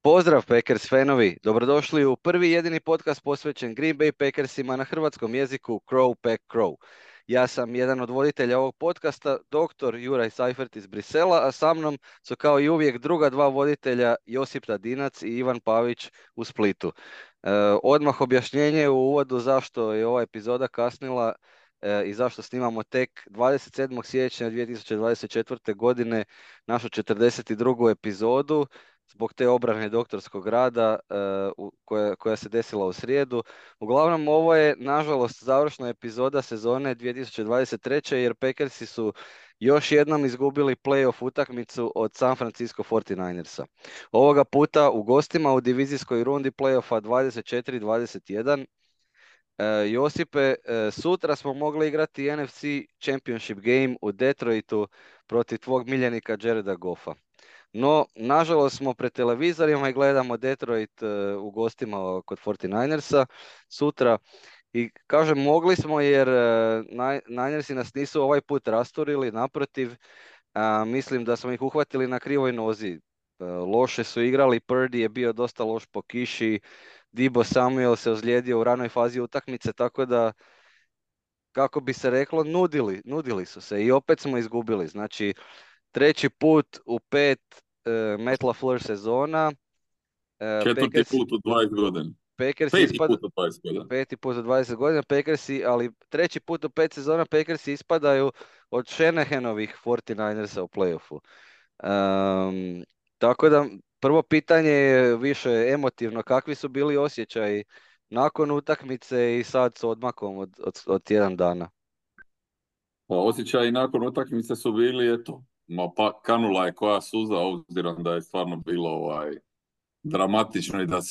Pozdrav Packers fanovi, dobrodošli u prvi jedini podcast posvećen Green Bay Packersima na hrvatskom jeziku Crow Pack Crow. Ja sam jedan od voditelja ovog podcasta, dr. Juraj Seifert iz Brisela, a sa mnom su kao i uvijek druga dva voditelja Josip Tadinac i Ivan Pavić u Splitu. Odmah objašnjenje u uvodu zašto je ova epizoda kasnila i zašto snimamo tek 27. siječnja 2024. godine našu 42. epizodu zbog te obrane doktorskog rada koja se desila u srijedu. Uglavnom, ovo je, nažalost, završna epizoda sezone 2023. jer Packersi su još jednom izgubili playoff utakmicu od San Francisco 49ersa. Ovoga puta u gostima u divizijskoj rundi playoffa 24-21. Josipe, sutra smo mogli igrati NFC Championship game u Detroitu protiv tvog miljenika Jareda Goffa. No, nažalost smo pred televizorima i gledamo Detroit u gostima kod 49ersa sutra. I kažem, mogli smo jer Ninersi nas nisu ovaj put rasturili, naprotiv, mislim da smo ih uhvatili na krivoj nozi. Loše su igrali, Purdy je bio dosta loš po kiši, Deebo Samuel se ozlijedio u ranoj fazi utakmice, tako da, kako bi se reklo, nudili su se i opet smo izgubili. Znači, treći put u 5 Matt LaFleur sezona. Četvrti put u 20 godina. Peti put u 20 godina. Peti put u 20 godina Packersi, ali treći put u 5 sezona Packersi ispadaju od Shanahanovih 49ersa u playoffu. Tako da, prvo pitanje je više emotivno. Kakvi su bili osjećaji nakon utakmice i sad s odmakom od tjedan dana? Pa osjećaji nakon utakmice su bili, eto, pa kanula je koja suza, obzirom da je stvarno bilo dramatično i da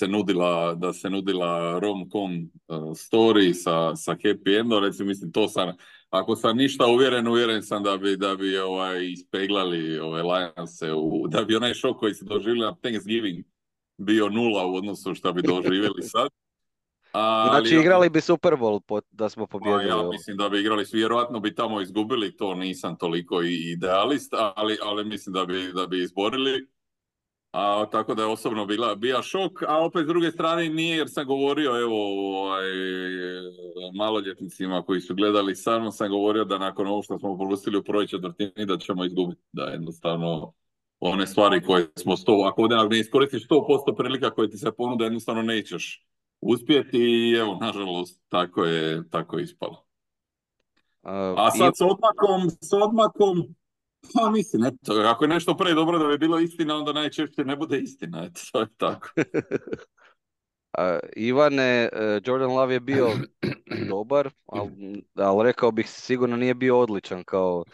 se nudila rom-com story sa happy endom. Recimo, mislim, to sam, ako sam ništa uvjeren sam da bi ispeglali Lionse, da bi onaj šok koji se doživjeli na Thanksgiving bio nula u odnosu što bi doživjeli sad. Znači, igrali bi Super Bowl da smo pobjedili. Ja mislim da bi igrali, vjerojatno bi tamo izgubili, to nisam toliko idealist, ali mislim da bi izborili. Tako da je osobno bio šok, a opet s druge strane nije, jer sam govorio maloljetnicima koji su gledali sa mnom, sam govorio da nakon ovo što smo propustili u prvoj četvrtini da ćemo izgubiti, da jednostavno one stvari koje smo ako ovdje ne iskoristiš 100% prilika koje ti se ponude, jednostavno nećeš uspjeti i evo, nažalost, tako je ispalo. A sad s odmakom, pa mislim, eto, ako je nešto pre dobro da bi bilo istina, onda najčešće ne bude istina, eto, to je tako. Ivane, Jordan Love je bio dobar, ali rekao bih sigurno nije bio odličan kao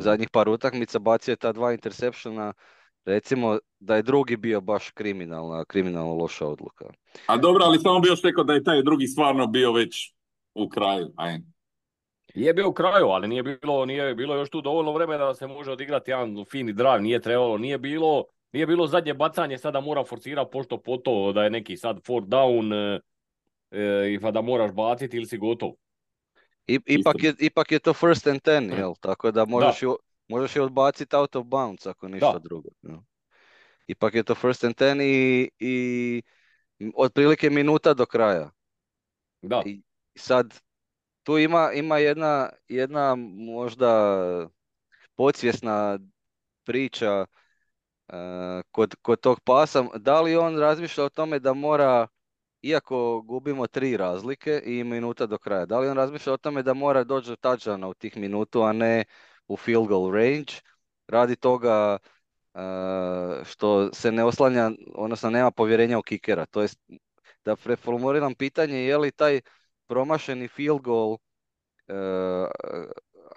zadnjih par utakmica, bacio je ta 2 interseptiona, recimo da je drugi bio baš kriminalno loša odluka. A dobro, ali samo bi još rekao da je taj drugi stvarno bio već u kraju, Je bio u kraju, ali nije bilo još tu dovoljno vremena da se može odigrati jedan fini drive, nije bilo zadnje bacanje, sada mora forsirati pošto po to da je neki sad fourth down i pa da moraš baciti ili si gotov. Ipak je to first and 10, jel? Tako da možeš je odbaciti out of bounds ako ništa drugo. Jel? Ipak je to first and 10 i otprilike minuta do kraja. Da. I sad tu ima jedna možda podsvjesna priča kod tog pasa. Da li on razmišlja o tome da mora, iako gubimo 3 razlike i minuta do kraja, da li on razmišlja o tome da mora doći do touchdowna u tih minutu, a ne u field goal range, radi toga što se ne oslanja, odnosno nema povjerenja u kikera. To jest, da preformuliram pitanje, je li taj promašeni field goal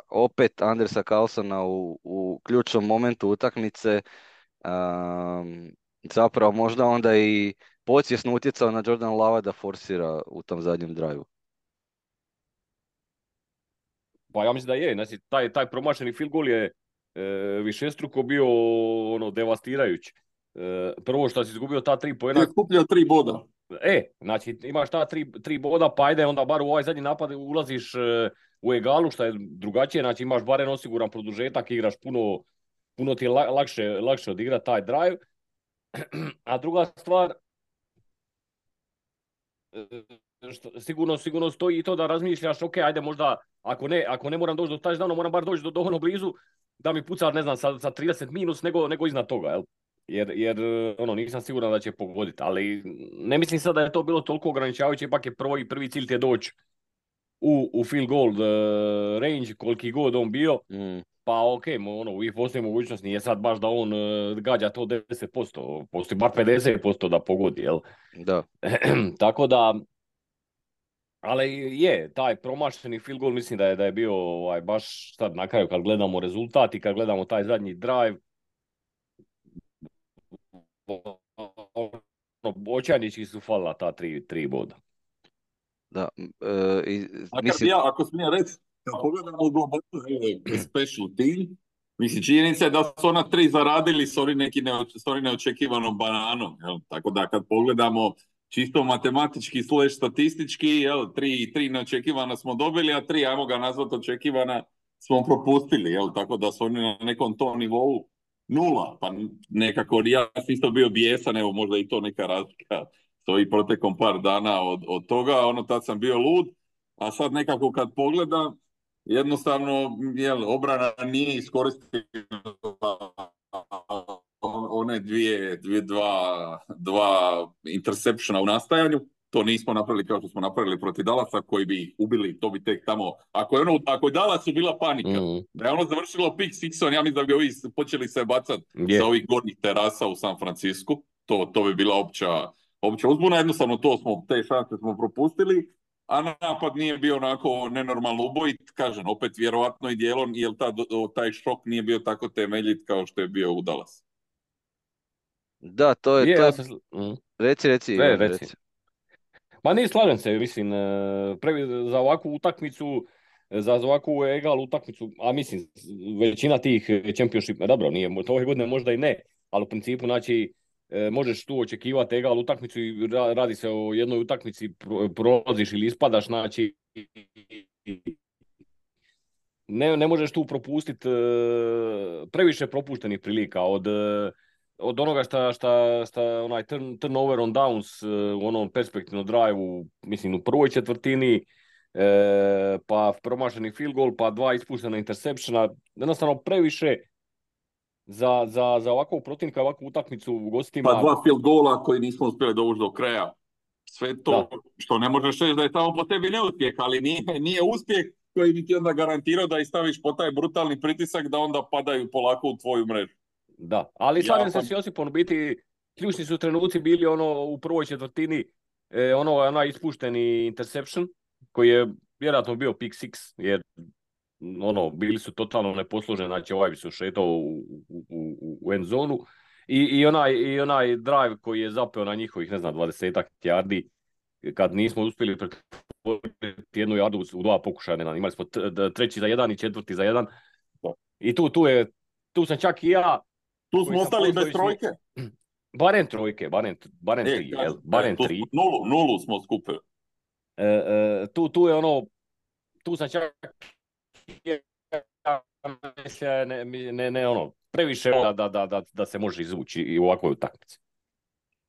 opet Andersa Carlsona u ključnom momentu utakmice zapravo možda onda i podsvjesno utjecao na Jordan Lava da forsira u tom zadnjem drive-u. Pa ja mislim da je, znači taj promašeni field goal je višestruko bio devastirajući. Prvo što si izgubio ta 3 poena. Je skupljao 3 boda. Znači imaš ta 3 boda, pa ajde onda bar u ovaj zadnji napad ulaziš u egalu, što je drugačije, znači imaš barem osiguran produžetak, igraš puno ti je lakše odigrati taj drive. A druga stvar, sigurno stoji i to da razmišljaš, ok, ajde možda, ako ne moram doći do touchdowna, moram bar doći do ono blizu, da mi puca, ne znam, sa 30 minus nego iznad toga, jel? Jer ono, nisam siguran da će pogoditi, ali ne mislim sad da je to bilo toliko ograničavajuće, ipak je prvi cilj ti je doći u field goal range, koliki god on bio, pa ok, ono, uvijek postoji mogućnost, nije sad baš da on gađa to 10%, postoji bar 50% da pogodi, jel? Da. Tako da, ali je, taj promašeni field goal mislim da je bio baš sad na kraju kad gledamo rezultat i kad gledamo taj zadnji drive, očajnički su falila ta tri boda. Da, mislim... Ako smijem reći, kad pogledamo u globalu special team, mislim, činjenica je da su ona 3 zaradili s onim neočekivanom bananom. Jel? Tako da kad pogledamo čisto matematički / statistički, jel, 3 neočekivana smo dobili, a 3, ajmo ga nazvati očekivana, smo propustili. Jel? Tako da su oni na nekom tom nivou 0. Pa nekako ja sam isto bio bijesan, evo možda i to neka razlika stoji protekom par dana od toga, tad sam bio lud, a sad nekako kad pogledam, jednostavno obrana nije iskoristila one dva interseptiona u nastajanju. To nismo napravili kao što smo napravili protiv Dallasa, koji bi ih ubili, to bi tek tamo... Ako je Dallasu bila panika, da je ono završilo pick sixon, ja mislim da bi ovi počeli se bacati sa ovih gornjih terasa u San Francisku. To bi bila opća uzbuna, jednostavno te šanse smo propustili, a napad nije bio onako nenormalno ubojit, kažem, opet vjerovatno i dijelom, jer taj šok nije bio tako temeljit kao što je bio u Dallasu. Da, to je... Reci. Ma nije, slažem se, mislim, za ovakvu utakmicu, za ovakvu egal utakmicu, a mislim, većina tih championship, dobro, nije, ove godine možda i ne, ali u principu, znači, možeš tu očekivati egal utakmicu i radi se o jednoj utakmici, prolaziš ili ispadaš, znači ne možeš tu propustiti previše propuštenih prilika od onoga šta onaj turnover on downs u onom perspektivnom drive-u, mislim u prvoj četvrtini, pa promašeni field goal, pa 2 ispuštena interseptiona, jednostavno previše za ovakvog protivnika, ovakvu utakmicu u gostima. Pa 2 field goala koji nismo uspjeli dovući do kraja. Sve to što ne možeš reći da je tamo po tebi neuspjeh, ali nije uspjeh koji bi ti onda garantirao da ih staviš po taj brutalni pritisak da onda padaju polako u tvoju mrežu. Da, ali slažem se s Josipom, biti ključni su trenuci bili u prvoj četvrtini, onaj ispušteni interception koji je vjerojatno bio pick six, jer bili su totalno neposluženi, znači bi su šetao u end zonu i onaj drive koji je zapeo na njihovih, 20 yardi, kad nismo uspjeli pretvoriti 1 yardu u 2 pokušaja, imali smo 3. za 1 i 4. za 1 i tu sam čak i ja. Tu smo ostali bez trojke. Barem trojke, barem 3, barem 3. Nulu smo skupili. Tu je tu sam čak previše da se može izvući i u ovakvoj utakmici.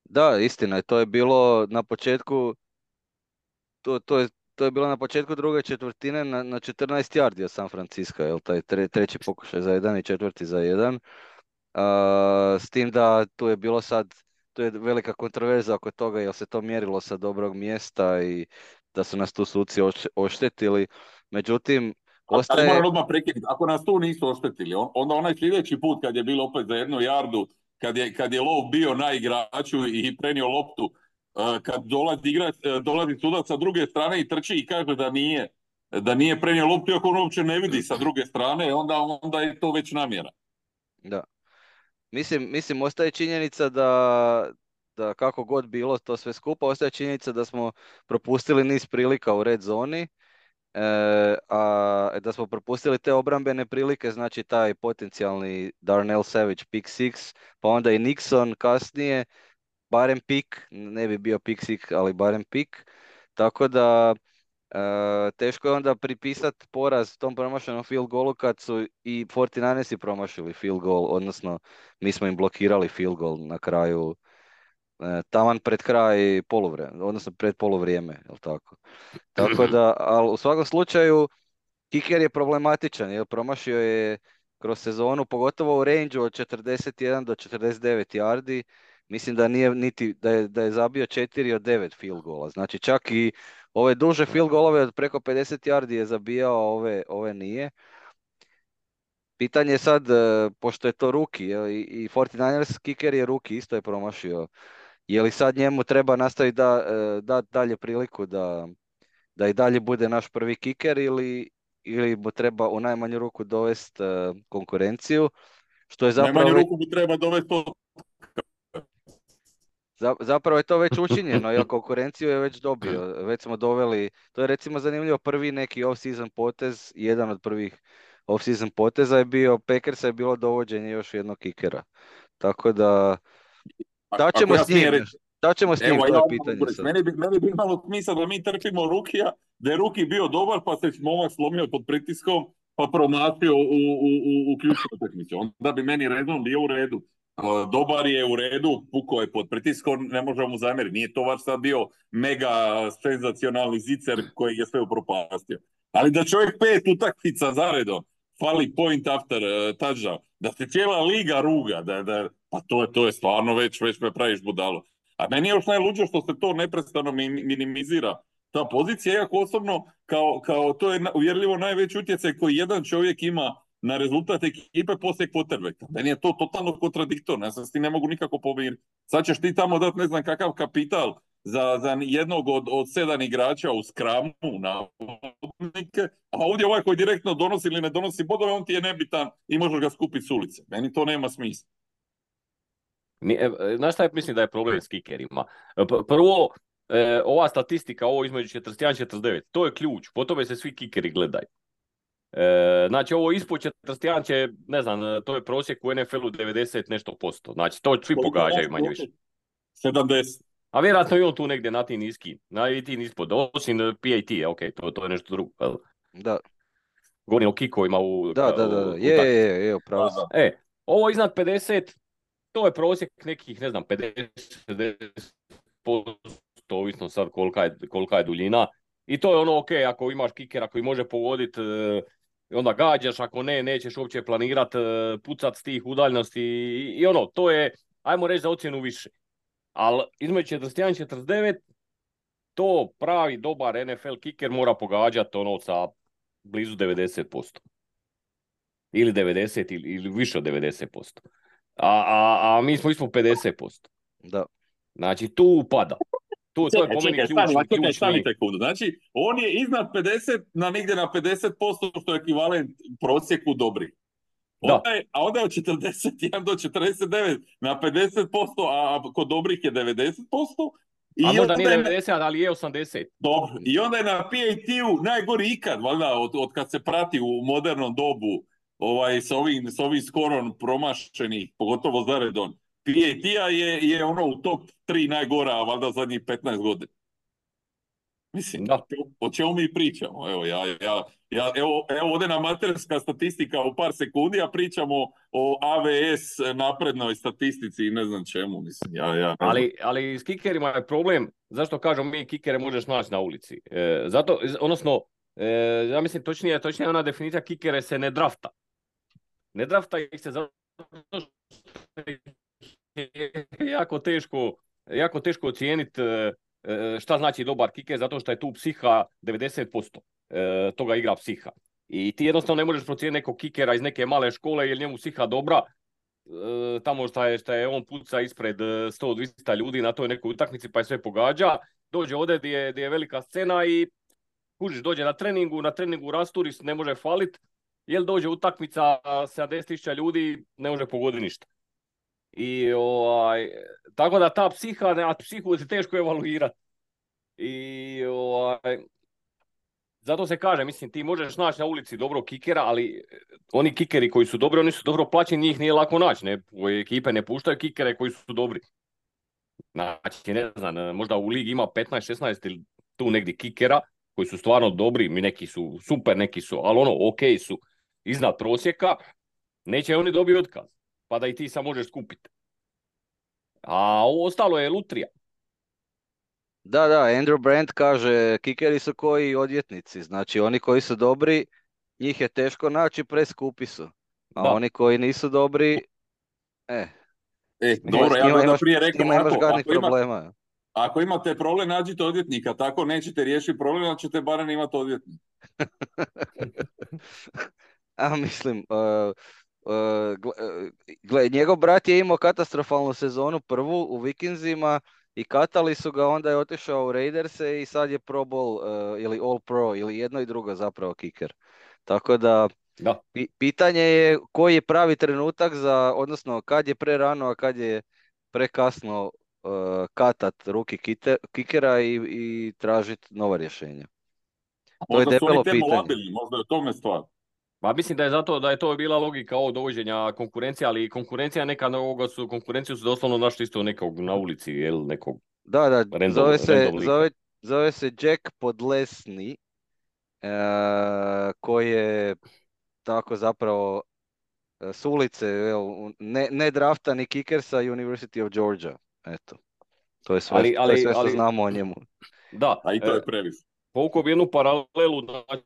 Da, istina je, to je bilo na početku, to je bilo na početku druge četvrtine na 14 yardi od San Francisco, jel, taj treći pokušaj za 1 i 4. za 1. S tim da tu je bilo sad, tu je velika kontroverza oko toga jel se to mjerilo sa dobrog mjesta i da su nas tu suci oštetili. Međutim, ostaje... Moram odmah prekinuti, ako nas tu nisu oštetili, onda onaj sljedeći put kad je bilo opet za 1 yardu, kad je lov bio na igraču i prenio loptu, kad dolazi sudac sa druge strane i trči i kaže da nije prenio loptu, ako on uopće ne vidi sa druge strane, onda je to već namjera. Da. Mislim, ostaje činjenica da kako god bilo to sve skupa, ostaje činjenica da smo propustili niz prilika u red zoni, a da smo propustili te obrambene prilike, znači taj potencijalni Darnell Savage pick six, pa onda i Nixon kasnije, barem pick, ne bi bio pick six, ali barem pick, tako da teško je onda pripisati poraz tom promašenom field goalu kad su i 49ersi promašili field goal, odnosno mi smo im blokirali field goal na kraju, taman pred kraj poluvrijeme, odnosno pred poluvrijeme, jel tako? Tako da, ali u svakom slučaju, kiker je problematičan, jer promašio je kroz sezonu, pogotovo u range od 41 do 49 yardi. Mislim da nije niti, da je zabio 4 od 9 field goala. Znači čak i ove duže field golove od preko 50 yardi je zabijao, ove nije. Pitanje je sad, pošto je to rookie, i 49ers kicker je rookie, isto je promašio. Je li sad njemu treba nastaviti da dalje priliku da i dalje bude naš prvi kiker, ili mu treba u najmanju ruku dovesti konkurenciju, što je U zapravo najmanju ruku mu treba dovesti to. zapravo je to već učinjeno, jer konkurenciju je već dobio. Već smo doveli, to je recimo zanimljivo, prvi neki off-season potez, jedan od prvih off-season poteza je bio, Packersa je bilo dovođenje još jednog kikera. Tako da, šta Ako ćemo ja s njim? smijem reći, Šta ćemo s njim, evo, to ja je mogu pitanje reći, sad. meni bi imalo smisla da mi trpimo rukija, da je ruki bio dobar, pa se momak slomio pod pritiskom, pa promašio u ključnu utakmicu. Onda bi meni redom bio u redu. Dobar je u redu, pukao je pod pritiskom, ne možemo mu zamjeriti. Nije to vaš sad bio mega senzacionalni zicer koji je sve upropastio. Ali da čovjek 5 utakmica zaredom fali point after touchdown, da se cijela liga ruga, pa to je stvarno već me praviš budalo. A meni je još najluđe što se to neprestano minimizira. Ta pozicija, iako osobno, kao to je uvjerljivo najveći utjecaj koji jedan čovjek ima na rezultat ekipe poslije quarterbacka. Meni je to totalno kontradiktorno, ja se s tim ne mogu nikako pomiriti. Sad ćeš ti tamo dati ne znam kakav kapital za jednog od 7 igrača u skramu na odnike, a ovdje ovaj koji direktno donosi ili ne donosi bodove, on ti je nebitan i možeš ga skupiti s ulice. Meni to nema smisla. Znaš šta mislim da je problem s kikerima? Prvo, ova statistika, ovo između 41 i 49, to je ključ, po tome se svi kikeri gledaju. Znači ovo ispod 41 će, ne znam, to je prosjek u NFL-u 90 nešto posto. Znači to svi pogađaju manje više. 70. A vjerojatno i on tu negdje na ti niski, na ti ispod, osim PAT, ok, to je nešto drugo. Da. Govorim o kikovima u... Da, je, upravo si. Ovo iznad 50, to je prosjek nekih, ne znam, 50% ovisno sad kolika je duljina. I to je ono ok, ako imaš kikera koji može pogoditi, onda gađaš, ako ne, nećeš uopće planirat pucat s tih udaljenosti i ono, to je, ajmo reći za ocjenu više. Ali između 41 i 49, to pravi dobar NFL kiker mora pogađati ono sa blizu 90%. Ili 90 ili više od 90%. A mi smo ispod 50%. Da. Znači tu pada. To je po meni ključni. Stani sekundu. Znači, on je iznad 50 na negdje na 50%, što je ekvivalent prosjeku dobri. A onda je od 41 do 49 na 50%, a kod dobrih je 90%. A možda nije 90, ali je 80. Dobro. I onda je na PAT-u najgori ikad, valjda, od kad se prati u modernom dobu s ovim skorom promašenih, pogotovo zaredom. PAT-a je ono u top 3 najgora, valjda zadnjih 15 godina. Mislim, o čemu mi pričamo? Evo ovdje amaterska statistika u par sekundi, a pričamo o AVS naprednoj statistici i ne znam čemu. Mislim, ali s kikerima je problem, zašto kažem mi kikere možeš naći na ulici? Ja mislim točnije ona definicija kikere se ne drafta. Ne drafta ih se zato što je jako teško ocijeniti šta znači dobar kiker, zato što je tu psiha 90%. Toga igra psiha. I ti jednostavno ne možeš procijeniti nekog kikera iz neke male škole jer njemu psiha dobra, tamo šta je on puca ispred 100-200 ljudi na toj nekoj utakmici pa je sve pogađa. Dođe ovdje gdje je velika scena i kužiš, dođe na treningu rasturi, ne može falit, jer dođe utakmica 70.000 ljudi, ne može pogoditi ništa. I tako da ta psihu se teško evaluirati. I zato se kaže, mislim, ti možeš naći na ulici dobrog kikera, ali oni kikeri koji su dobri, oni su dobro plaćeni, njih nije lako naći. Ekipe ne puštaju kikere koji su dobri. Znači, ne znam, možda u ligi ima 15-16 ili tu negdje kikera, koji su stvarno dobri, neki su super, neki su, ali ono, ok su iznad prosjeka, neće oni dobiti otkaz, pa da i ti sam možeš skupiti. A ovo ostalo je lutrija. Da, Andrew Brandt kaže, kikeri su koji odvjetnici, znači oni koji su dobri, njih je teško naći, preskupi su. A Da, oni koji nisu dobri, eh, Dobro, ja bi onda prije s rekao njima imaš ovako, gadnih problema. ako imate problem, nađite odvjetnika, tako nećete riješiti problem, ali ćete barem imati odvjetnika. A mislim, gle, njegov brat je imao katastrofalnu sezonu prvu u Vikingsima i katali su ga, onda je otišao u Raiderse i sad je Pro Bowl ili All Pro ili jedno i drugo zapravo kicker. Tako da da. pitanje je koji je pravi trenutak za, odnosno kad je prerano, a kad je prekasno katat ruki kikera i tražiti nova rješenja. To je Možda su oni debelo pitanje. termolabilni, možda je u tome stvar. Pa mislim da je zato da je to bila logika ovo dovođenja konkurencije, ali konkurencija neka ovoga su, konkurenciju su doslovno našli isto nekog na ulici, jel, nekog Da, random lika. zove se Jack Podlesny, koji je tako zapravo s ulice, ne draftani kicker sa University of Georgia. Eto, to je sve što znamo o njemu. Da, A i to je previše. povukao bi jednu paralelu, znači,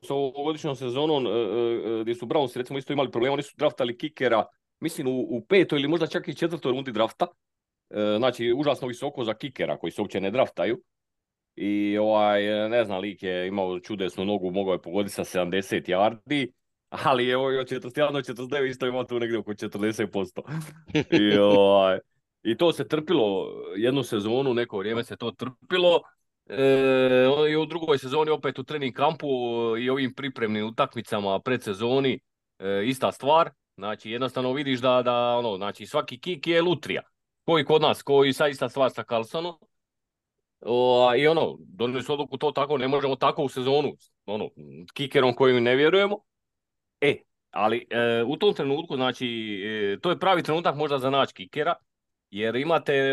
s ovogodišnjom sezonom gdje su Browns recimo isto imali problema, oni su draftali kikera, mislim u petoj ili možda čak i četvrtoj rundi drafta, znači užasno visoko za kikera koji se uopće ne draftaju. I ne znam, lik je imao čudesnu nogu, mogao je pogoditi sa 70 yardi, ali evo od 41 49 isto ima tu negdje oko 40%. I to se trpilo jednu sezonu, neko vrijeme se to trpilo. I u drugoj sezoni opet u trening kampu i ovim pripremnim utakmicama predsezoni ista stvar. Znači jednostavno vidiš da znači svaki kik je lutrija. Koji kod nas, koji sad ista stvar sa Carlsonom. I donijeli su odluku to tako, ne možemo tako u sezonu, kikerom kojim ne vjerujemo. Ali u tom trenutku, znači, to je pravi trenutak možda za naći kikera, jer imate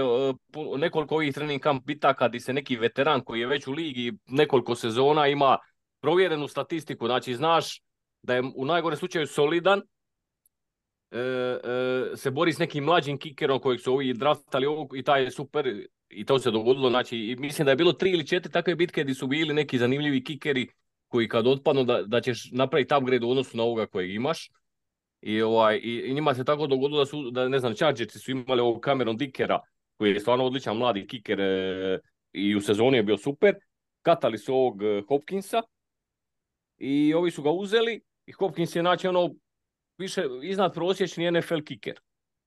nekoliko ovih trening kamp bitaka gdje se neki veteran koji je već u ligi nekoliko sezona ima provjerenu statistiku, znači znaš da je u najgorem slučaju solidan, se bori s nekim mlađim kikerom kojeg su ovi draftali i taj je super i to se dogodilo, znači i mislim da je bilo 3 ili 4 takve bitke gdje su bili neki zanimljivi kikeri koji kad otpadnu da ćeš napraviti upgrade u odnosu na ovoga kojeg imaš. I njima se tako dogodilo da ne znam, Chargersi su imali ovog Cameron Dickera koji je stvarno odličan mladi kiker i u sezoni je bio super. Katali su ovog Hopkinsa i ovi su ga uzeli i Hopkins je znači više iznad prosječni NFL kiker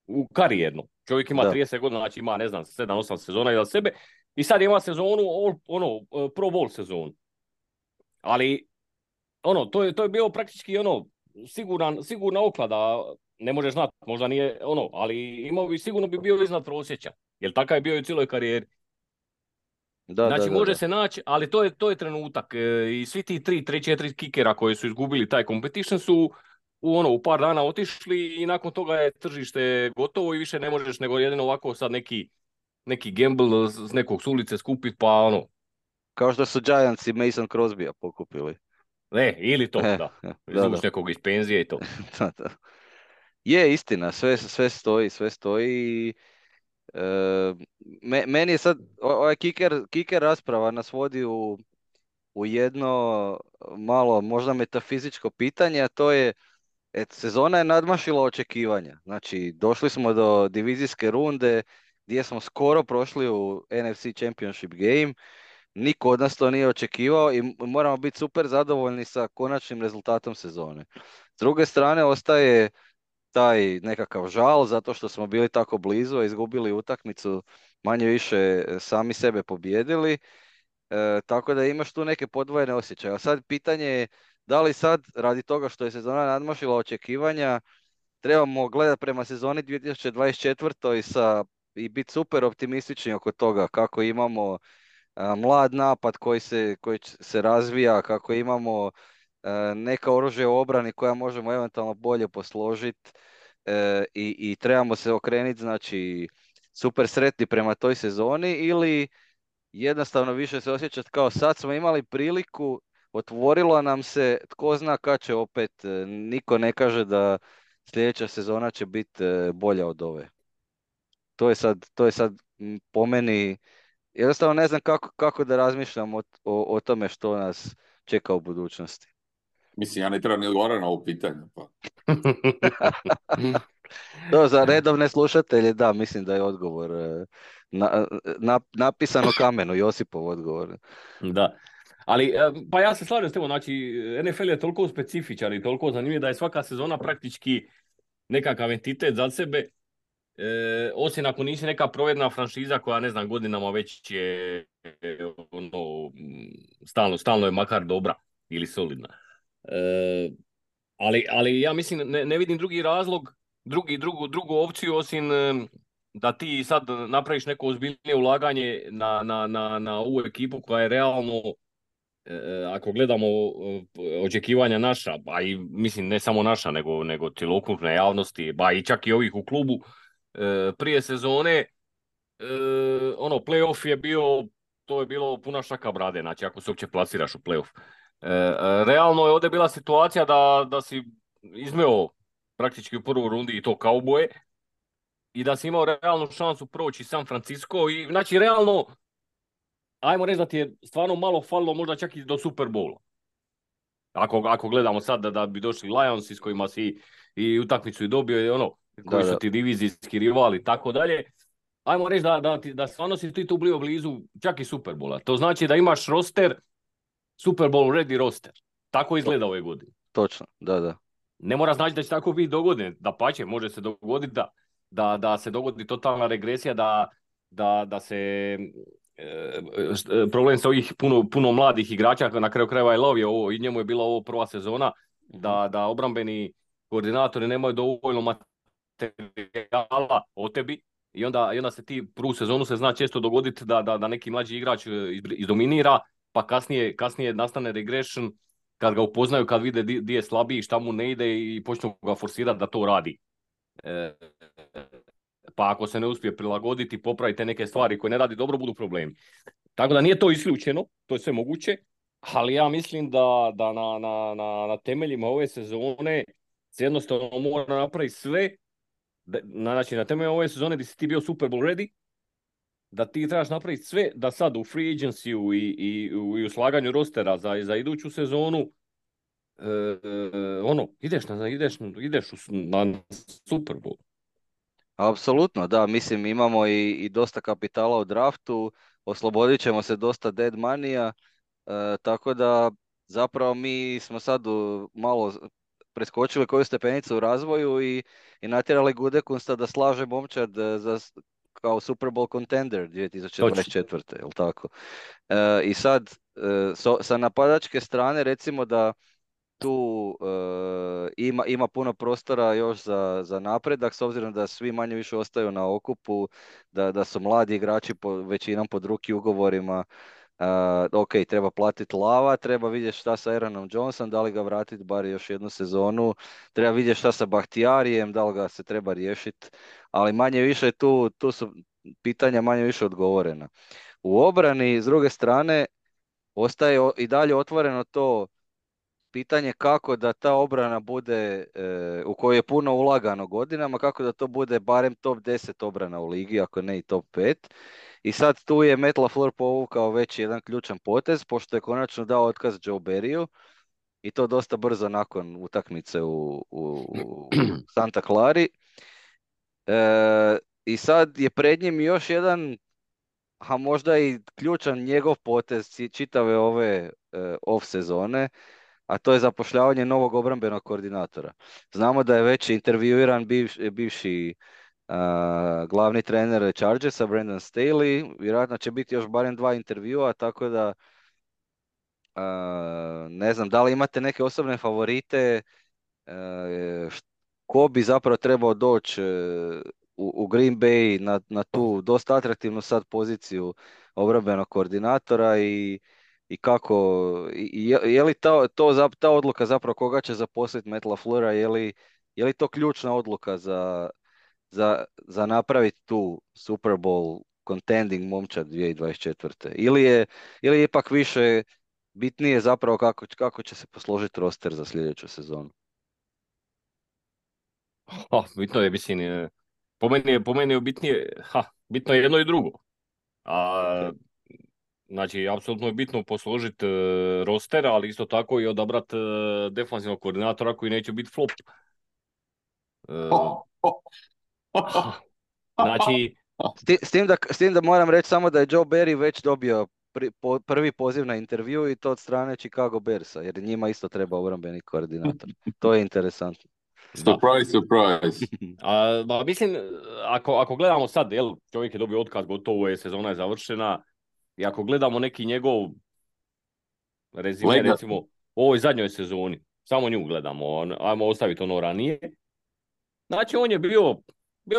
u karijerno. Čovjek ima 30 godina, znači ima, ne znam, 7-8 sezona iza sebe i sad ima sezonu, Pro Bowl sezonu. Ali, to je bio praktički, sigurna oklada, ne možeš znati, možda nije, ali sigurno bi bio iznad prosječa, jer takav je bio i u cijeloj karijeri. Znači, može se naći, ali to je trenutak. I svi ti 3-4 kikera koji su izgubili taj competition su u par dana otišli i nakon toga je tržište gotovo i više ne možeš nego jedino ovako sad neki gamble s nekog s ulice skupiti, pa Kao što su Giants i Mason Crosbya pokupili. Ili to, da. Izvuš nekog iz penzije i to. Da. Je istina, sve stoji. Meni je sad, ovaj kiker rasprava nas vodi u jedno malo možda metafizičko pitanje, a to je sezona je nadmašila očekivanja. Znači, došli smo do divizijske runde gdje smo skoro prošli u NFC Championship game. Niko od nas to nije očekivao i moramo biti super zadovoljni sa konačnim rezultatom sezone. S druge strane, ostaje taj nekakav žal zato što smo bili tako blizu, a izgubili utakmicu, manje više sami sebe pobijedili. Tako da imaš tu neke podvojene osjećaje. A sad pitanje je da li sad, radi toga što je sezona nadmašila očekivanja, trebamo gledati prema sezoni 2024. I biti super optimistični oko toga kako imamo mlad napad koji se razvija, kako imamo neka oružja u obrani koja možemo eventualno bolje posložiti i trebamo se okrenuti, znači super sretni prema toj sezoni, ili jednostavno više se osjećati kao sad smo imali priliku, otvorilo nam se, tko zna kad će opet, niko ne kaže da sljedeća sezona će biti bolja od ove. To je sad po meni, jednostavno ne znam kako da razmišljam o tome što nas čeka u budućnosti. Mislim, ja ne trebam ni odgovarati na ovo pitanje. Pa. To za redovne slušatelje, da, mislim da je odgovor napisan u kamenu, Josipov odgovor. Da. Ali, pa ja se slažem s tebom, znači, NFL je toliko specifičan i toliko zanimljiv da je svaka sezona praktički nekakav entitet za sebe, osim ako nisi neka provedna franšiza koja, ne znam, godinama već je ono, stalno je makar dobra ili solidna. Ali ja mislim, ne vidim drugi razlog, drugu opciju osim da ti sad napraviš neko ozbiljnije ulaganje na ovu ekipu koja je realno, ako gledamo očekivanja naša, a i mislim ne samo naša, nego cjelokupne javnosti, ba i čak i ovih u klubu, prije sezone, ono, playoff je bio, to je bilo puna šaka brade, znači ako se uopće plasiraš u playoff. Realno je ovdje bila situacija da si izmeo praktički u prvoj rundi i to kauboje i da si imao realnu šansu proći San Francisco i znači realno, ajmo reći da ti je stvarno malo falilo možda čak i do Super Bowla. Ako gledamo sad da bi došli Lions s kojima si i utakmicu i dobio i ono, koji su ti divizijski rivali i tako dalje, ajmo reći da stvarno si ti tu bio blizu čak i Super Bowla. To znači da imaš roster, Super Bowl ready roster. Tako izgleda ove godine. Točno, da. Ne mora znači da će tako biti dogodine. Dapače, može se dogoditi da se dogodi totalna regresija, da se problem sa ovih puno mladih igrača, na kraju krajeva je lovio ovo i njemu je bila ovo prva sezona, da obrambeni koordinatori nemaju dovoljno materijala o tebi i onda se ti prvu sezonu se zna često dogoditi da neki mlađi igrač izdominira, pa kasnije nastane regression kad ga upoznaju, kad vide di je slabiji, šta mu ne ide i počnu ga forsirati da to radi. Pa ako se ne uspije prilagoditi, popraviti neke stvari koje ne radi dobro, budu problemi. Tako da nije to isključeno, to je sve moguće, ali ja mislim da na temeljima ove sezone se jednostavno mora napraviti sve, znači na temelju ove sezone gdje si ti bio Super Bowl ready, da ti trebaš napraviti sve da sad u free agency-u i u slaganju rostera za iduću sezonu ideš na Super Bowl. Apsolutno, da, mislim imamo i dosta kapitala u draftu, oslobodit ćemo se dosta dead money-a, tako da zapravo mi smo sad malo preskočili koju stepenicu u razvoju i natjerali Gutekunsta da slaže momčad kao Super Bowl contender 2024. Jel tako? I sad sa napadačke strane recimo da tu ima puno prostora još za napredak, s obzirom da svi manje više ostaju na okupu, da su mladi igrači većinom pod ruki ugovorima. Ok, treba platiti Lava, treba vidjeti šta sa Aaronom Johnson, da li ga vratiti bar još jednu sezonu, treba vidjeti šta sa Bahtijarijem, da li ga se treba riješiti, ali manje više tu su pitanja manje više odgovorena. U obrani, s druge strane, ostaje i dalje otvoreno to pitanje kako da ta obrana bude, u kojoj je puno ulagano godinama, kako da to bude barem top 10 obrana u ligi, ako ne i top 5. I sad tu je Matt LaFleur povukao već jedan ključan potez, pošto je konačno dao otkaz Joe Barryu, i to dosta brzo nakon utakmice u Santa Clari. I sad je pred njim još jedan, a možda i ključan njegov potez čitave ove off sezone, a to je zapošljavanje novog obrambenog koordinatora. Znamo da je već intervjuiran bivši glavni trener Chargersa, Brandon Staley, vjerojatno će biti još barem 2 intervjua, tako da ne znam, da li imate neke osobne favorite, ko bi zapravo trebao doći u Green Bay na tu dosta atraktivnu sad poziciju obrambenog koordinatora i kako, je li ta odluka zapravo koga će zaposliti Matt LaFleura, je li to ključna odluka za napraviti tu Super Bowl contending momčad 2024. Ili je ipak više bitnije zapravo kako će se posložiti roster za sljedeću sezonu? Bitno je, mislim, po meni je bitnije, bitno je jedno i drugo. A, znači, apsolutno je bitno posložiti roster, ali isto tako i odabrati defanzivnog koordinatora koji neće biti flop. Znači, S tim da moram reći samo da je Joe Barry već dobio prvi poziv na intervju i to od strane Chicago Bearsa, jer njima isto treba obrambeni koordinator. To je interesantno. Surprise, surprise. Mislim, ako gledamo sad, čovjek je dobio otkaz, gotovo je, sezona je završena, i ako gledamo neki njegov rezime, recimo, u ovoj zadnjoj sezoni, samo nju gledamo, ajmo ostaviti ono ranije, znači on je bio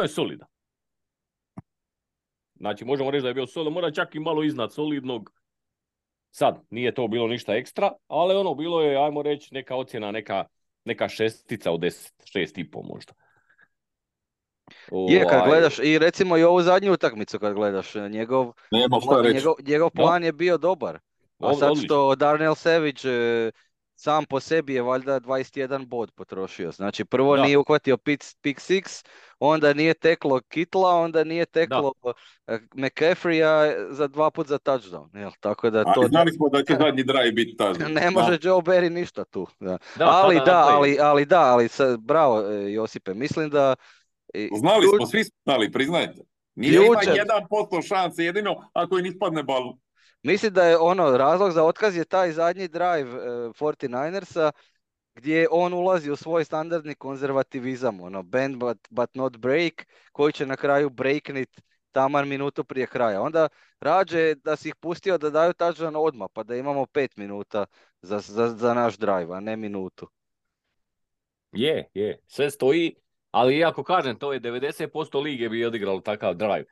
je solidan. Znači, možemo reći da je bio solidan, mora čak i malo iznad solidnog. Sad, nije to bilo ništa ekstra, ali ono, bilo je, ajmo reći, neka ocjena, neka 6 od 10, 6,5 možda. Je, kad gledaš, i recimo i ovu zadnju utakmicu kad gledaš, njegov plan je bio dobar. A sad što Darnell Savage sam po sebi je valjda 21 bod potrošio. Znači prvo nije uhvatio pick six, onda nije teklo Kitla, onda nije teklo McCaffreya za 2 puta za touchdown. Jel? Tako da to... znali smo da će zadnji drive biti touchdown. Ne može Joe Barry ništa tu. Ali bravo Josipe, mislim da... Znali smo, svi znali, priznajte. Nije ima 1% šanse, jedino ako im ispadne balu. Mislim da je razlog za otkaz je taj zadnji drive 49ersa gdje on ulazi u svoj standardni konzervativizam, bend but not break, koji će na kraju breaknit taman minutu prije kraja. Onda rađe da si ih pustio da daju touchdown odmah, pa da imamo 5 minuta za naš drive, a ne minutu. Je, sve stoji, ali iako kažem, to je 90% lige bi odigralo takav drive.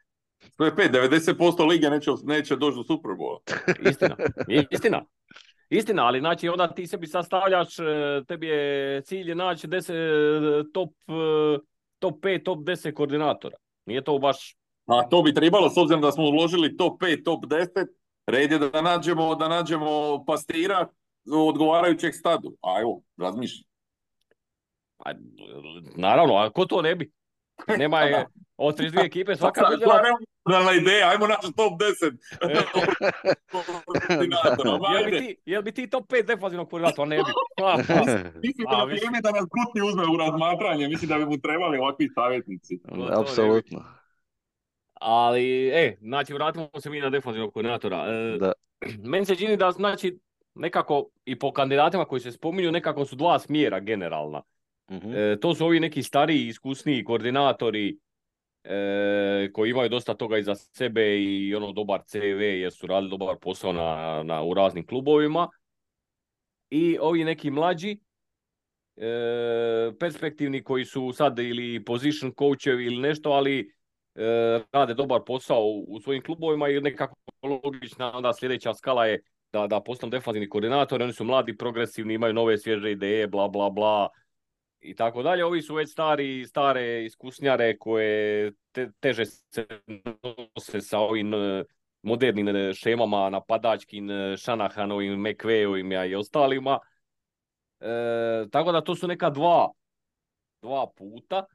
To je 90% lige neće doći do Superbola. Istina, ali znači onda ti sebi sastavljaš, tebi je cilj naći top 5, top 10 koordinatora. Nije to baš... A to bi trebalo, s obzirom da smo uložili top 5, top 10, red je da nađemo pastira odgovarajućeg stadu. A evo, razmišljam. Naravno, a ko to ne bi? Nema je od 32 ekipe svaka vidjela... Realna ideja, ajmo naći top 10. Jel bi ti top 5 defanzivnog koordinatora? Ne bi. Mislim da vrijeme da nas Kutni uzme u razmatranje, mislim da bi mu trebali ovakvi savjetnici. Apsolutno. Ali, znači, vratimo se mi na defanzivnog koordinatora. Meni se čini da, znači, nekako i po kandidatima koji se spominju, nekako su dva smjera generalna. To su ovi neki stariji, iskusniji koordinatori koji imaju dosta toga iza sebe i dobar CV jer su radili dobar posao u raznim klubovima. I ovi neki mlađi, perspektivni koji su sad ili position coachevi ili nešto, ali rade dobar posao u svojim klubovima i nekako logična onda sljedeća skala je da postanu defanzivni koordinatori, oni su mladi, progresivni, imaju nove svježe ideje, bla bla bla i tako dalje. Ovi su već stare iskusnjare koje teže se nose sa ovim modernim šemama napadačkim, Shanahanovim, McVayovim i ostalima. Tako da to su neka dva puta.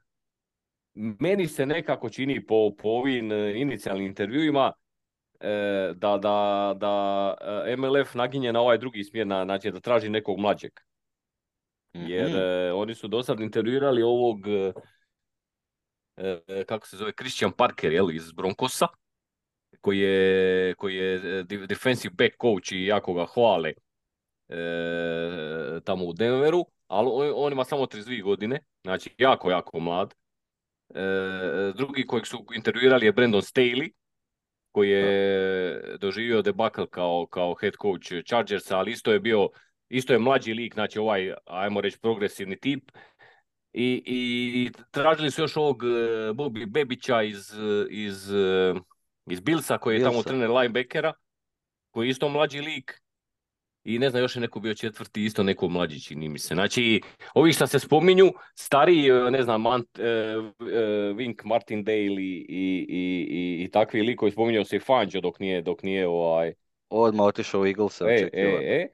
Meni se nekako čini po ovim inicijalnim intervjuima da MLF naginje na ovaj drugi smjer, znači da traži nekog mlađeg. Jer oni su do sad intervjuirali ovog kako se zove, Christian Parker, iz Broncosa, koji je defensive back coach i jako ga hvale tamo u Denveru, ali on ima samo 32 godine, znači jako mlad. Drugi kojeg su intervjuirali je Brandon Staley, koji je doživio debakl kao head coach Chargersa, ali isto je mlađi lik, znači ovaj, ajmo reći, progresivni tip. I tražili su još ovog Bobby Bebića iz Billsa, koji je tamo trener linebackera, koji je isto mlađi lik. i ne znam, još je neko bio četvrti, isto neko mlađi, čini mi se. Znači, ovi što se spominju, stariji, ne znam, Wink Martindale i takvi likovi, spominjao se i Fangio dok nije Odmah otišao u Eaglese očekivano.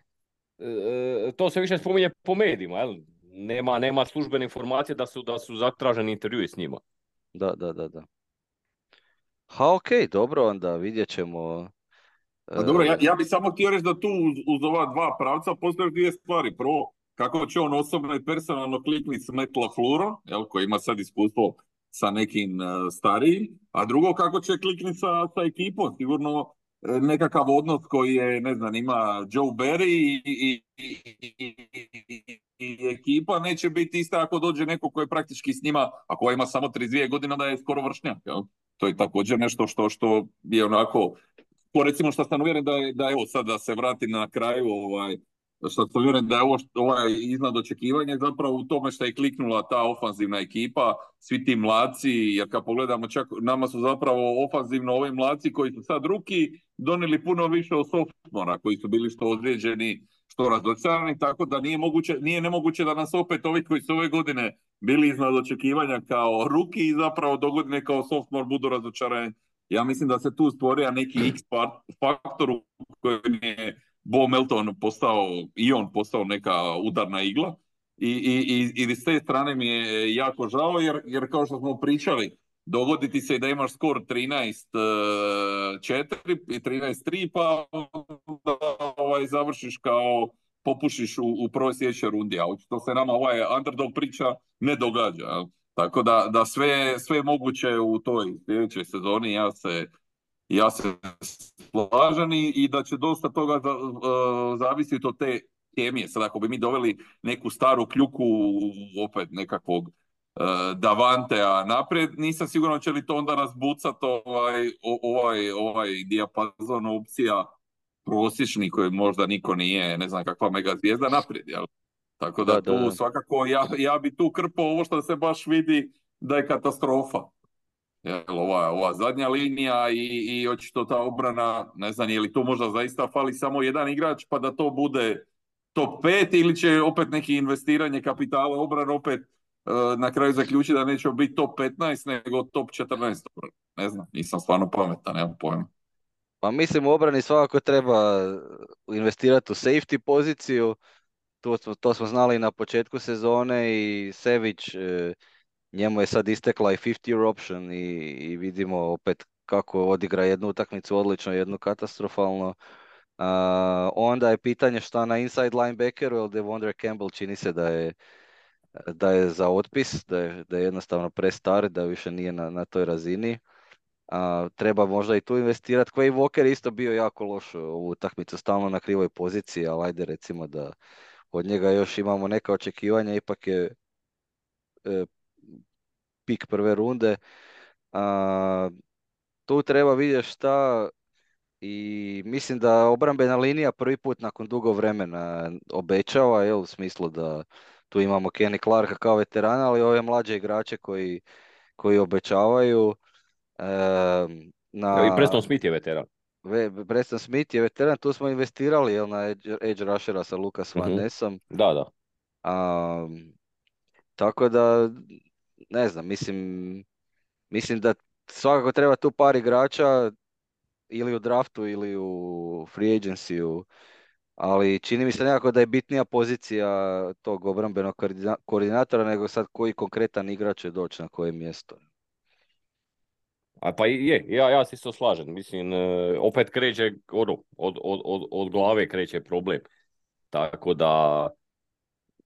to se više spominje po medijima, jel? Nema službene informacije da su zatraženi intervjui s njima. Da. Ha, okej, dobro, onda vidjet ćemo. A dobro, ja bih samo htio reći da tu uz ova dva pravca postoje dvije stvari. Prvo, kako će on osobno i personalno klikniti s Matt LaFleurom, koji ima sad iskustvo sa nekim starijim, a drugo, kako će klikniti sa ekipom. Sigurno nekakav odnos koji je, ne znam, ima Joe Barry i ekipa neće biti ista ako dođe neko koji je praktički s njima, ako ima samo 32 godine, da je skoro vršnjak. Jel? To je također nešto što je onako, po recimo što sam uvjeren da evo sad da se vratim na kraju, što sam uvjeren da je ovaj iznad očekivanja zapravo u tome što je kliknula ta ofanzivna ekipa, svi ti mladci, jer kad pogledamo čak nama su zapravo ofanzivno ovi mladci koji su sad ruki donijeli puno više od softvora koji su bili što ozlijeđeni, što razočarani, tako da nije nemoguće da nas opet ovi koji su ove godine bili iznad očekivanja kao ruki i zapravo dogodine kao sophomore budu razočarani. Ja mislim da se tu stvorio neki X faktor u kojem je Bo Melton postao neka udarna igla i s te strane mi je jako žao jer kao što smo pričali, dogoditi se da imaš skor 13-4 i 13-3 pa završiš kao popušiš u prvoj sljedećoj rundi, a očito se nama underdog priča ne događa. Tako da sve moguće u toj sljedećoj sezoni ja se slažem i da će dosta toga zavisiti od te kemije. Sad ako bi mi doveli neku staru kljuku opet nekakvog Davantea naprijed, nisam siguran će li to onda razbucati ovaj dijapazon opcija prosječni koji možda niko nije, ne znam kakva mega zvijezda naprijed, jel? Tako da tu svakako ja bi tu krpao ovo što se baš vidi da je katastrofa. Jel, ova zadnja linija i očito ta obrana, ne znam je li tu možda zaista fali samo jedan igrač pa da to bude top 5 ili će opet neki investiranje kapitala obrana opet na kraju zaključiti da neće biti top 15 nego top 14. Ne znam, nisam stvarno pametan, nemam pojma. Pa mislim u obrani svakako treba investirati u safety poziciju. To smo znali na početku sezone i Savage, njemu je sad istekla i 50-year option i vidimo opet kako odigra jednu utakmicu odlično, jednu katastrofalno. Onda je pitanje šta na inside linebackeru, jer Devondre Campbell čini se da je za otpis, da je jednostavno prestar, da više nije na toj razini. Treba možda i tu investirati. Quay Walker je isto bio jako loš u utakmicu, stalno na krivoj poziciji, ali ajde recimo da od njega još imamo neka očekivanja, ipak je pik prve runde. Tu treba vidjeti šta i mislim da obrambena linija prvi put nakon dugo vremena obećava, u smislu da tu imamo Kenny Clarka kao veterana, ali ove mlađe igrače koji obećavaju. I Preston Smith je veteran. Preston Smith je veteran, tu smo investirali na edge rushera sa Lucas Van Nessom. Da. Tako da, ne znam, mislim da svakako treba tu par igrača ili u draftu ili u free agency-u, ali čini mi se nekako da je bitnija pozicija tog obrambenog koordinatora nego sad koji konkretan igrač će doći na koje mjesto. A pa ja se isto slažem, mislim, opet kreće od glave kreće problem, tako da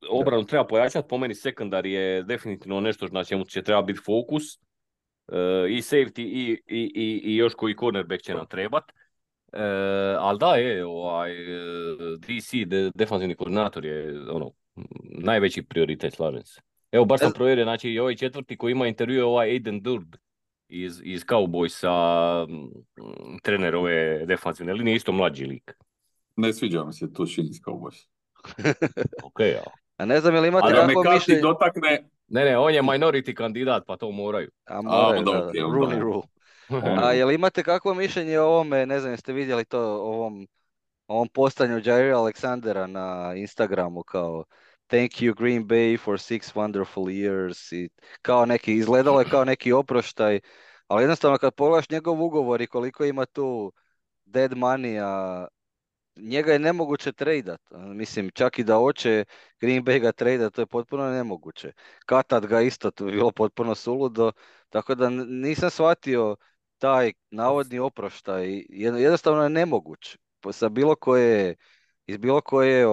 obranu treba pojačati, po meni sekundar je definitivno nešto na čemu će treba biti fokus, i safety i još koji cornerback će nam trebat, ali da DC, defanzivni koordinator je najveći prioritet, slažem se. Evo, baš sam provjerio, znači i ovaj četvrti koji ima intervju Aiden Durd iz Cowboysa, trener ove defanzivne linije, isto mlađi lik. Ne sviđa mi se to čini iz Cowboysa. Okej, ja. A ne znam, je li imate kakvo mišljenje? Dotakne... Ne, on je minority kandidat, pa to moraju. Moraju, da. Rooney rule. A je li imate kakvo mišljenje o ovome, ne znam, jeste vidjeli to, ovom ovom postanju Jaira Aleksandera na Instagramu kao Thank you Green Bay for 6 wonderful years i kao neki, izgledalo je kao neki oproštaj, ali jednostavno kad pogledaš njegov ugovor i koliko ima tu dead money, njega je nemoguće tradat. Mislim, čak i da hoće Green Bay ga tradat, to je potpuno nemoguće. Katad ga isto, to bi bilo potpuno suludo, tako da nisam shvatio taj navodni oproštaj. Jednostavno je nemoguć. Sa bilo koje, iz bilo koje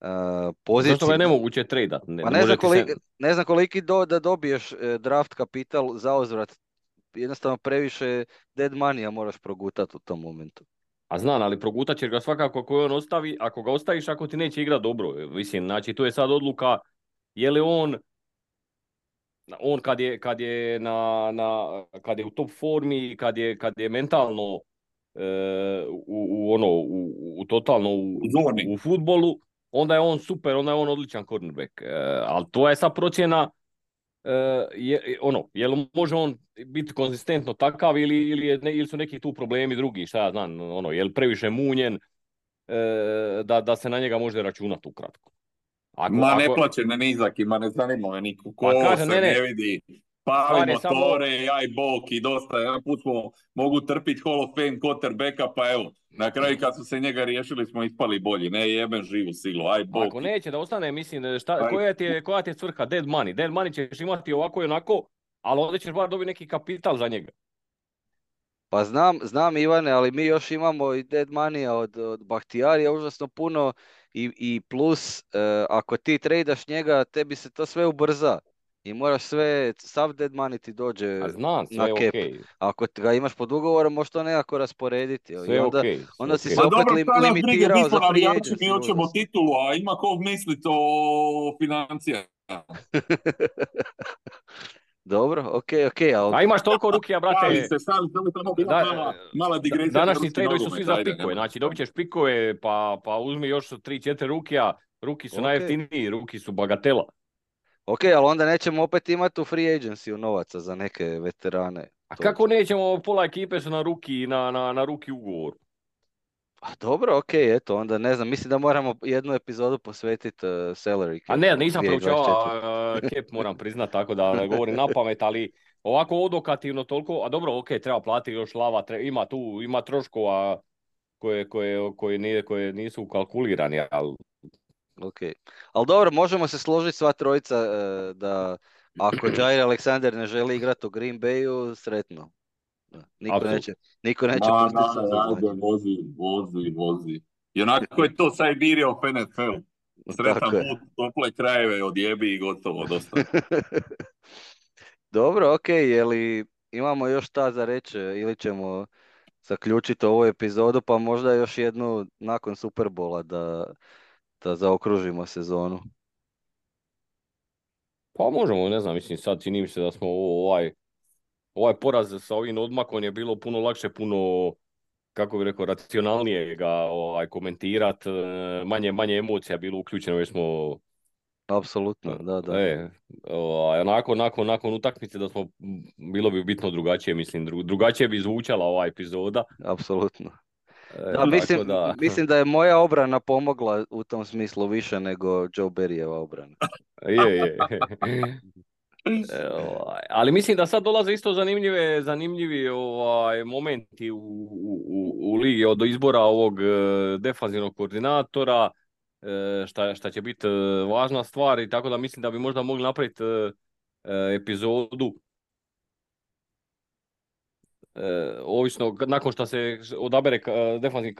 Zašto ga pozicije. je nemoguće tradat? Ne, Pa ne može ti se... ne znam koliki da dobiješ draft kapital za uzvrat. Jednostavno previše dead money moraš progutati u tom momentu. A znam, ali progutat ćeš ga svakako ako on ostavi, ako ga ostaviš, ako ti neće igrati dobro. Mislim, znači, tu je sad odluka, je li on kad je u top formi, kad je mentalno u totalno Zoni. u fudbalu, onda je on super, onda je on odličan cornerback. Ali to je sad procjena je li može on biti konzistentno takav ili su neki tu problemi drugi, šta ja znam, je li previše munjen da se na njega može računati ukratko. Ne plaće na nizak i ne zanima me niko. Ko Pa kaže, se ne vidi. Pali motore, jaj bok i dosta. Jedan put smo mogu trpiti Hall of Fame quarterbacka, pa evo. Na kraju kad su se njega riješili smo ispali bolji. Ne jebem živu silu, aj bok. Ako neće da ostane, mislim, koja ti je svrha? Dead money. Dead money ćeš imati ovako i onako, ali onda ćeš bar dobiti neki kapital za njega. Pa znam Ivane, ali mi još imamo i dead money od Bahtijarija užasno puno i plus ako ti tradaš njega, tebi se to sve ubrza i moraš sav dead money ti dođe Znam, na sve cap. okay. Ako ga imaš pod ugovorom, možeš to nekako rasporediti. Sve I onda, okay, onda si okay. se opet dobro, limitirao za free agency. Mi hoćemo titulu, a ima kog misliti o financijama. Dobro, ok, ali... A imaš toliko rukija, brate. Ali se sam mala digresija. Današnji tradovi su svi za pikove. Znači, dobit ćeš pikove, pa uzmi još 3-4 rukija. Ruki su najjeftiniji, ruki su bagatela. Ok, ali onda nećemo opet imati u free agency novaca za neke veterane. A kako nećemo, pola ekipe su na ruki ugovor. A dobro, ok, eto, onda ne znam, mislim da moramo jednu epizodu posvetiti salary cap. A ne, nisam proučavao cap, moram priznat, tako da ne govorim na pamet, ali ovako odokativno toliko, a dobro, ok, treba platiti još lava, ima troškova koje nisu kalkulirani, ali... Ok, ali dobro, možemo se složiti sva trojica da ako Jair Alexander ne želi igrati u Green Bayu, sretno. Niko neće pustiti se ajde, vozi. I onako je to Siberia of NFL. Sretan put, tople krajeve odjebi i gotovo, dosta. Dobro, ok, jeli imamo još šta za reći ili ćemo zaključiti ovu epizodu, pa možda još jednu nakon Superbola da zaokružimo sezonu. Pa možemo, ne znam, mislim, sad čini mi se da smo ovaj poraz sa ovim odmakom je bilo puno lakše, puno, kako bih rekao, racionalnije ga komentirati, manje emocija bilo uključeno jer smo... Apsolutno, da. Nakon utakmice da smo, bilo bi bitno drugačije, mislim, drugačije bi zvučala ova epizoda. Apsolutno. Mislim da je moja obrana pomogla u tom smislu više nego Joe Barryjeva obrana. Je. Ali mislim da sad dolaze isto zanimljivi momenti u ligi od izbora ovog defanzivnog koordinatora, šta će biti važna stvar i tako da mislim da bi možda mogli napraviti epizodu ovisno nakon što se odabere defanzivni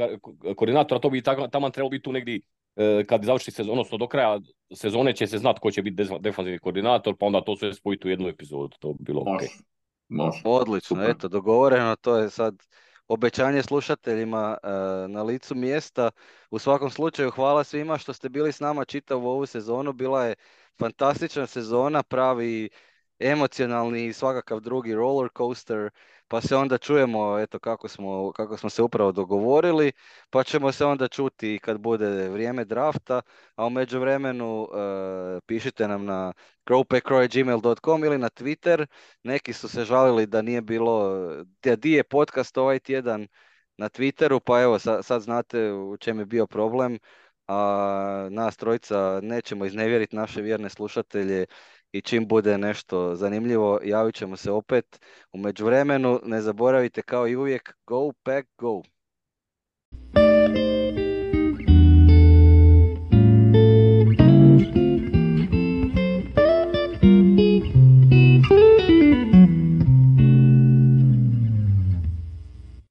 koordinator, to bi taman trebalo biti tu negdje kad završi sezon, odnosno do kraja sezone će se znati ko će biti defanzivni koordinator, pa onda to sve spojiti u jednu epizodu, to bi bilo ok. Odlično, super. Eto, dogovoreno, to je sad obećanje slušateljima na licu mjesta. U svakom slučaju hvala svima što ste bili s nama čitavu ovu sezonu, bila je fantastična sezona, pravi emocionalni i svakakav drugi roller coaster, pa se onda čujemo eto kako smo se upravo dogovorili, pa ćemo se onda čuti kad bude vrijeme drafta, a u međuvremenu pišite nam na crowpackcrow@gmail.com ili na Twitter. Neki su se žalili da nije bilo, di je podcast ovaj tjedan, na Twitteru, pa evo sad znate u čem je bio problem, a nas trojica nećemo iznevjeriti naše vjerne slušatelje i čim bude nešto zanimljivo javit ćemo se opet. U međuvremenu ne zaboravite kao i uvijek, go pack go!